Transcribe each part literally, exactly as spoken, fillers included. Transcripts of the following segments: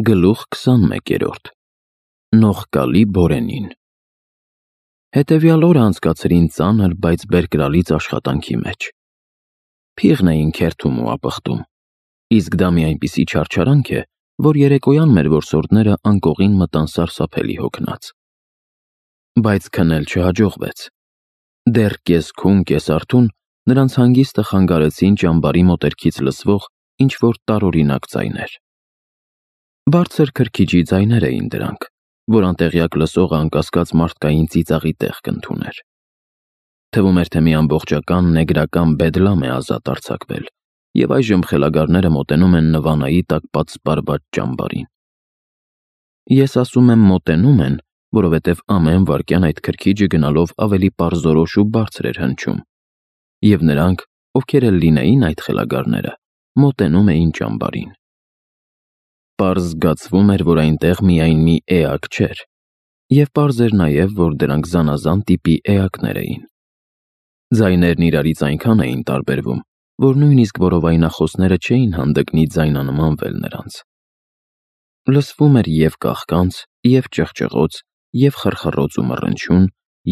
Գլուխ քսանմեկերորդ Նողկալի Բորենին Հետևյալ օրը անցկացրին ծանր, բայց բերկրալից աշխատանքի մեջ։ Փիղն էին քերթում ու ապխտում, իսկ դա մի այնպիսի չարչարանք է, որ երեկոյան մեր որսորդները անկողին մտան սարսափելի հոգնած։ Բայց քնել չհաջողվեց։ Դեռ կես-քուն, կես-արթուն նրանց հանգիստը խանգարեցին ճամբարի մոտերքից լսվող ինչ-որ տարօրինակ ձայներ։ Բարձր քրքիջի ձայներ էին դրանք, որ անտեղյակ լսողը անկասկած մարդկային ծիծաղի տեղ կընդուներ։ Թվում էր, թե մի ամբողջական նեգրական բեդլամ է ազատ արձակվել, և այժմ խելագարները մոտենում են նվանայի տակ պատսպարված ճամբարին։ Ես ասում եմ մոտենում են, որովհետև ամեն վայրկյան այդ քրքիջը գնալով ավելի պարզորոշ ու բարձր էր հնչում, և նրանք, ովքեր էլ լինեին այդ խելագարները, մոտենում էին ճամբարին։ Պարզ զգացվում էր, որ այնտեղ միայն մի էակ չէր, և պարզ էր նաև, որ դրանք զանազան տիպի էակներ էին։ Ձայներն իրարից այնքան էին տարբերվում, որ նույնիսկ որովայնախոսները չէին հանդգնի ձայնանմանվել նրանց։ Լսվում էր և կաղկանց, և ճղճղոց, և խռխռոց ու մռնչյուն,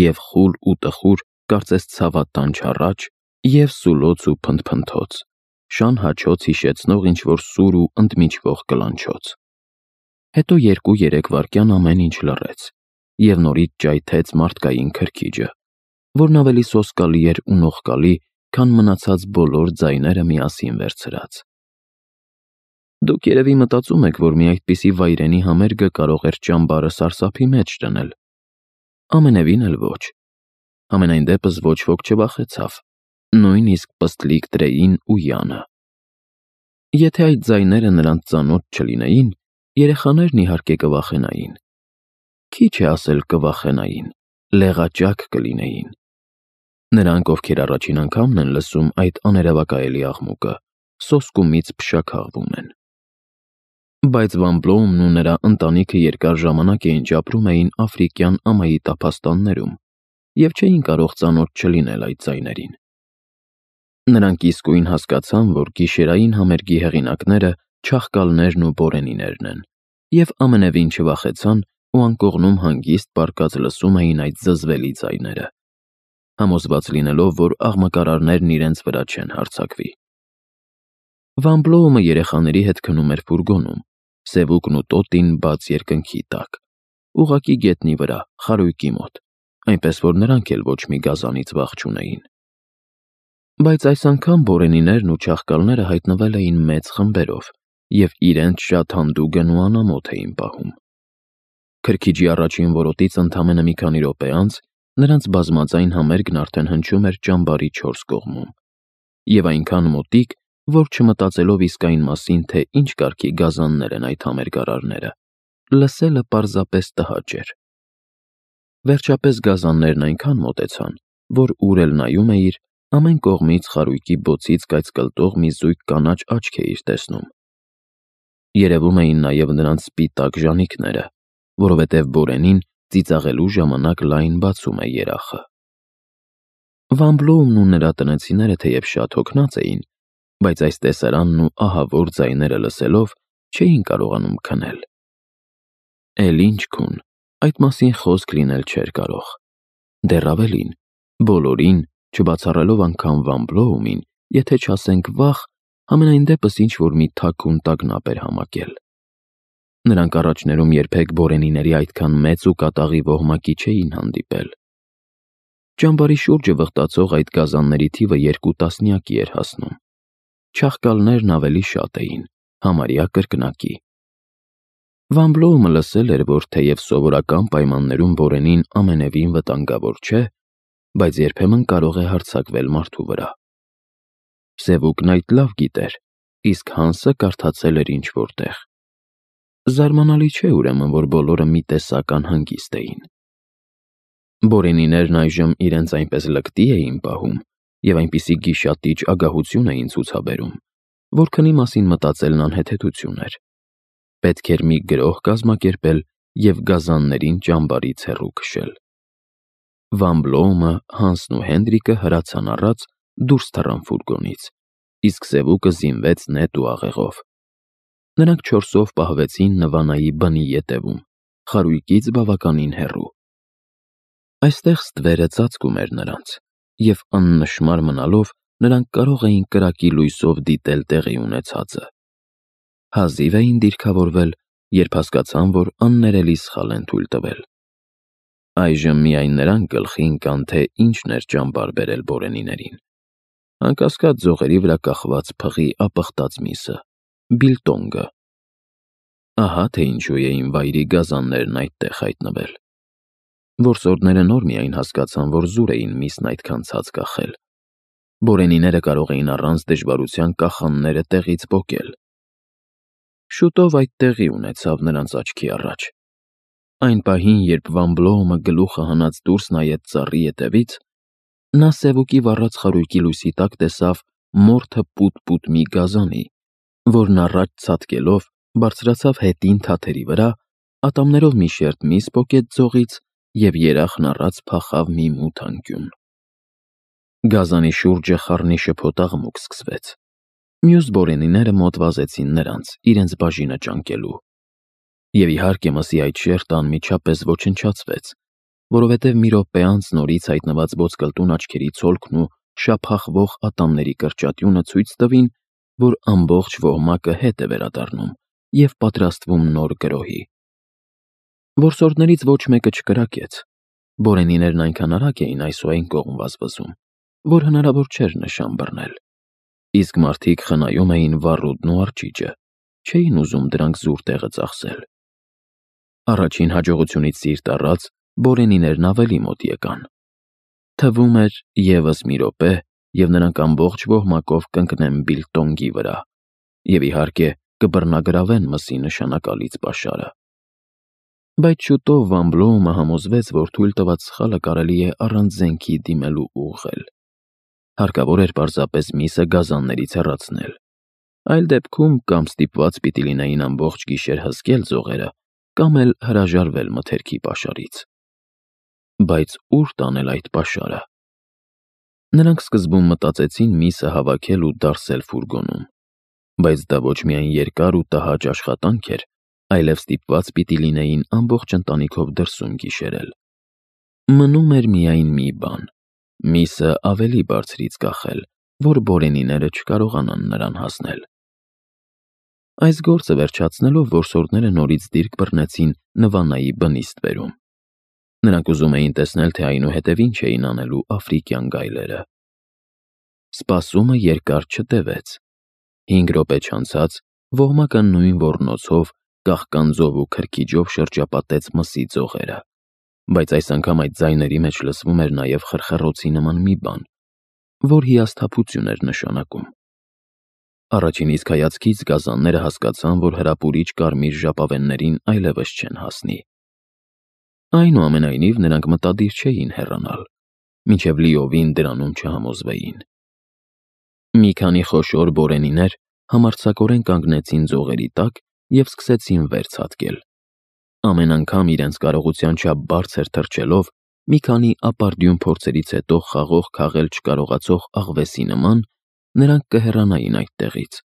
և խուլ ու տխուր, կարծես ցավատան չառաջ, և սուլոց ու փնթփնթոց, շան հաչոց հիշեցնող ինչ-որ սուր ու ընդմիջվող կլանչոց։ Հետո երկու-երեք վայրկյան ամեն ինչ լռեց, և նորից ճայթեց մարդկային քրքիջը, որն ավելի սոսկալի էր ու նողկալի, քան մնացած բոլոր ձայները միասին վերցրած։ Դուք երևի մտածում եք, որ մի այդպիսի վայրենի համերգը կարող էր ճամբարը սարսափի մեջ դնել։ Ամենևին էլ ոչ։ Համենայն դեպս ոչ ոք չվախեցավ, նույնիսկ Պստլիկ Տրեին ու Յանը։ Եթե այդ ձայները նրանց ծանոթ չլինեին, երեխաներն իհարկե կվախենային։ Քիչ է ասել կվախենային, լեղաճակ կլինեին։ Նրանք, ովքեր առաջին անգամն են լսում այդ աներևակայելի աղմուկը, սոսկումից փշաքաղվում են։ Բայց Վան Բլոումն ու նրա ընտանիքը երկար ժամանակ է ինչ ապրում էին աֆրիկյան ամայի տափաստաններում և չէին կարող ծանոթ չլինել այդ ձայներին։ Նրանք իսկույն հասկացան, որ գիշերային համերգի հեղինակները չաղկալներն ու բորենիներն են, և ամենևին չվախեցան ու անկողնում հանգիստ պառկած լսում էին այդ զզվելի ձայները, համոզված լինելով, որ աղմկարարներն իրենց վրա չեն հարձակվի։ Վան Բլոումը երեխաների հետ քնում էր ֆուրգոնում, Սևուկն ու Տոտին բաց երկնքի տակ, ուղղակի գետնի վրա, խարույկի մոտ, այնպես որ նրանք էլ ոչ մի գազանից վախ չունեին։ Բայց այս անգամ բորենիներն ու չաղկալները հայտնվել էին մեծ խմբերով և իրենց շատ հանդուգն ու անամոթ էին պահում։ Քրքիջի առաջին որոտից ընդամենը մի քանի րոպե անց նրանց բազմաձայն համերգն արդեն հնչում էր ճամբարի չորս կողմում, և այնքան մոտիկ, որ չմտածելով իսկ այն մասին, թե ինչ կարգի գազաններ են այդ համերգարարները, լսելը պարզապես տհաճ էր։ Վերջապես գազաններն այնքան մոտեցան, որ ուր էլ նայում էիր, ամեն կողմից խարույկի բոցից կայծկլտող մի զույգ կանաչ աչք էիր տեսնում։ Երևում էին նաև նրանց սպիտակ ժանիքները, որովհետև բորենին ծիծաղելու ժամանակ լայն բացում է երախը։ Վան Բլոումն ու նրա տնեցիները թեև շատ հոգնած էին, բայց այս տեսարանն ու ահավոր ձայները լսելով չէին կարողանում քնել։ Էլ ինչ քուն, այդ մասին խոսք լինել չէր կարող։ Դեռ ավելին, բոլորին, չբացառելով անգամ Վան Բլոումին, եթե չասենք վախ, համենայն դեպս ինչ-որ մի թաքուն տագնապ էր համակել։ Նրանք առաջներում երբեք բորենիների այդքան մեծ ու կատաղի ոհմակի չէին հանդիպել։ Ճամբարի շուրջը վխտացող այդ գազանների թիվը երկու տասնյակի էր հասնում։ Չաղկալներն ավելի շատ էին, համարյա կրկնակի։ Վան Բլոումը լսել էր, որ թեև սովորական պայմաններում բորենին ամենևին վտանգավոր չէ, բայց երբեմն կարող է հարձակվել մարդու վրա։ Սևուկն այդ լավ գիտեր, իսկ Հանսը կարդացել էր ինչ-որ տեղ։ Զարմանալի չէ, ուրեմն, որ բոլորը մի տեսակ անհանգիստ էին։ Բորենիներն այժմ իրենց այնպես լկտի էին պահում և այնպիսի գիշատիչ ագահություն էին ցուցաբերում, որ քնի մասին մտածելն անհեթեթություն էր։ Պետք էր մի գրոհ կազմակերպել և գազաններին ճամբարից հեռու քշել։ Վան Բլոումը, Հանսն ու Հենդրիկը հրացան առած դուրս թռան ֆուրգոնից, իսկ Սևուկը զինվեց նետ ու աղեղով։ Նրանք չորսով պահվեցին Նվանայի բնի ետևում, խարույկից բավականին հեռու։ Այստեղ ստվերը ծածկում էր նրանց, և աննշմար մնալով նրանք կարող էին կրակի լույսով դիտել տեղի ունեցածը։ Հազիվ էին դիրքավորվել, երբ հասկացան, որ աններելի սխալ են թույլ տվել։ Այժմ միայն նրանք գլխի ընկան, թե ինչն էր ճամբար բերել Բորենիներին։ Անկասկած ձողերի վրա կախված փղի ապխտած միսը, բիլտոնգը։ Ահա թե ինչու էին վայրի գազաններն այդտեղ հայտնվել։ Որսորդները նոր միայն հասկացան, որ զուր էին միսն այդքան ցած կախել։ Բորենիները կարող էին առանց դժվարության կախանները տեղից պոկել։ Շուտով այդ տեղի ունեցավ նրանց աչքի առաջ։ Այն պահին, երբ Վան Բլոումը գլուխը հանած դուրս նայեց ծառի ետևից, նա սևուկի վառած խարույկի լույսի տակ տեսավ մորթը պուտ-պուտ մի գազանի, որն առաջ ցատկելով բարձրացավ հետին թաթերի վրա, ատամներով մի շերտ միս պոկեց ձողից և երախն առած փախավ մի մութ անկյուն։ Գազանի շուրջը խառնի-շփոթ աղմուկ սկսվեց։ Մյուս Բորենիները մոտ վազեցին նրանց, իրենց բաժինը ճանկելու։ Եվ իհարկե մսի այդ շերտը անմիջապես ոչնչացվեց, որովհետև մի րոպե անց նորից հայտնված ոսկլտուն աչքերի ցոլքն ու շափախվող ատամների կրճատյունը ցույց տվին, որ ամբողջ ոհմակը հետ է վերադառնում և պատրաստվում նոր գրոհի։ Որսորդներից ոչ մեկը չկրակեց։ Բորենիներն այնքան արագ էին այս ու այն կողմ վազվզում, որ հնարավոր չէր նշան բռնել։ Իսկ մարդիկ խնայում էին վառուդն ու արճիճը, չէին ուզում դրանք զուր տեղը ծախսել։ Առաջին հաջողությունից սիրտ առած, Բորենիներն ավելի մոտ եկան։ Թվում էր ևս մի րոպե, և նրանք ամբողջ ոհմակով կընկնեն բիլտոնգի վրա, և իհարկե կբռնագրավեն մսի նշանակալից պաշարը։ Բայց շուտով Վան Բլոումը համոզվեց, որ թույլ տված սխալը կարելի է առանց զենքի դիմելու ուղղել։ Հարկավոր էր պարզապես միսը գազաններից հեռացնել։ Այլ դեպքում կամ ստիպված պիտի լինեին ամբողջ գիշեր հսկել ձողերը, կամ էլ հրաժարվել մթերքի պաշարից։ Բայց ուր տանել այդ պաշարը։ Նրանք սկզբում մտածեցին միսը հավաքել ու դարսել ֆուրգոնում, բայց դա ոչ միայն երկար ու տհաճ աշխատանք էր, այլև ստիպված պիտի լինեին ամբողջ ընտանիքով դրսում գիշերել։ Մնում էր միայն մի բան՝ միսը ավելի բարձրից կախել, որ Բորենիները չկարողանան նրան հասնել։ Այս գործը վերջացնելով որսորդները նորից դիրք բռնեցին Նվանայի բնի ստվերում։ Նրանք ուզում էին տեսնել, թե այնուհետև ինչ էին անելու աֆրիկյան գայլերը։ Սպասումը երկար չտևեց։ Հինգ րոպե չանցած ոհմակը նույն ոռնոցով, կաղկանձով ու քրքիջով շրջապատեց մսի ձողերը, բայց այս անգամ այդ ձայների մեջ լսվում էր նաև խրխռոցի նման մի բան, որ հիասթափություն էր նշանակում։ Առաջին իսկ հայացքից գազանները հասկացան, որ հրապուրիչ կարմիր ժապավեններին այլևս չեն հասնի։ Այնուամենայնիվ նրանք մտադիր չէին հեռանալ, մինչև լիովին դրանում չհամոզվեին։ Մի քանի խոշոր Բորենիներ համարձակորեն կանգնեցին ձողերի տակ և սկսեցին վեր ցատկել։ Ամեն անգամ իրենց կարողության չափ բարձր թռչելով, մի քանի ապարդյուն փորձերից հետո խաղող քաղել չկարողացող աղվեսի նման, նրանք կհեռանային այդտեղից։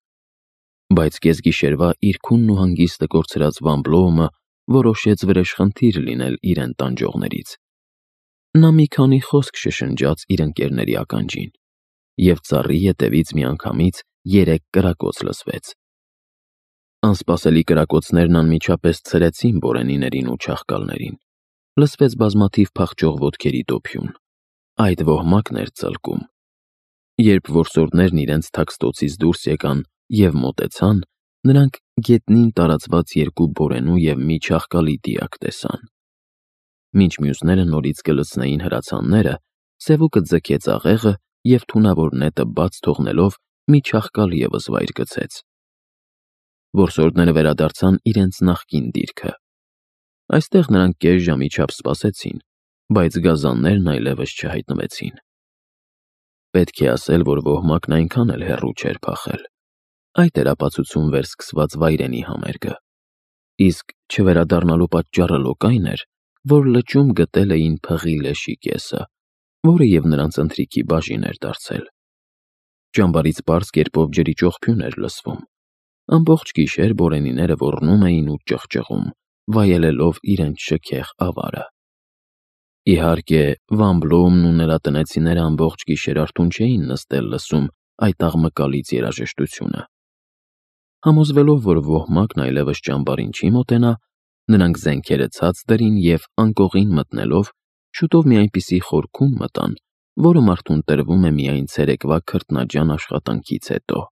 Բայց կեսգիշերվա իր քունն ու հանգիստը կորցրած Վան Բլոումը որոշեց վրեժխնդիր լինել իրեն տանջողներից։ Նա մի քանի խոսք շշնջաց իր ընկերների ականջին, և ծառի ետևից միանգամից երեք կրակոց լսվեց։ Անսպասելի կրակոցներն անմիջապես ցրեցին Բորենիներին ու չաղկալներին։ Լսվեց բազմաթիվ փախչող ոտքերի դոփյուն։ Այդ ոհմակն էր ծլկում։ Երբ որսորդներն իրենց թաքստոցից դուրս եկան և մոտեցան, նրանք գետնին տարածված երկու բորենու և մի չաղկալի դիակ տեսան։ Մինչ մյուսները նորից կլցնեին հրացանները, սևուկը ձգեց աղեղը և թունավոր նետը բաց թողնելով մի չաղկալ ևս վայր գցեց։ Որսորդները վերադարձան իրենց նախկին դիրքը։ Այստեղ նրանք կես ժամի չափ սպասեցին, բայց գազաններն այլևս չհայտնվեցին։ Պետք է ասել, որ ոհմակն այնքան էլ հեռու չէր փախել։ Այդ էր ապացուցում վերսկսված վայրենի համերգը։ Իսկ չվերադառնալու պատճառը լոկ այն էր, որ լճում գտել էին փղի լեշի կեսը, որը և նրանց ընթրիքի բաժին էր դարձել։ Ճամբարից պարզ կերպով ջրի ճողփյուն էր լսվում։ Ամբողջ գիշեր բորենիները ոռնում էին ու ճղճղում, վայելելով իրենց շքեղ ավարը։ Իհարկե, Վան Բլոումն ու նրա տնեցիները ամբողջ գիշեր արթուն չէին նստել լսում այդ աղմկալից երաժշտությունը։ Համոզվելով, որ ոհմակն այլևս ճամբարին չի մոտենա, նրանք զենքերը ցած դրին և անկողին մտնելով շուտով մի այնպիսի խորքում մտան, որը մարդուն տրվում է միայն ցերեկվա քրտնաջան աշխատանքից հետո։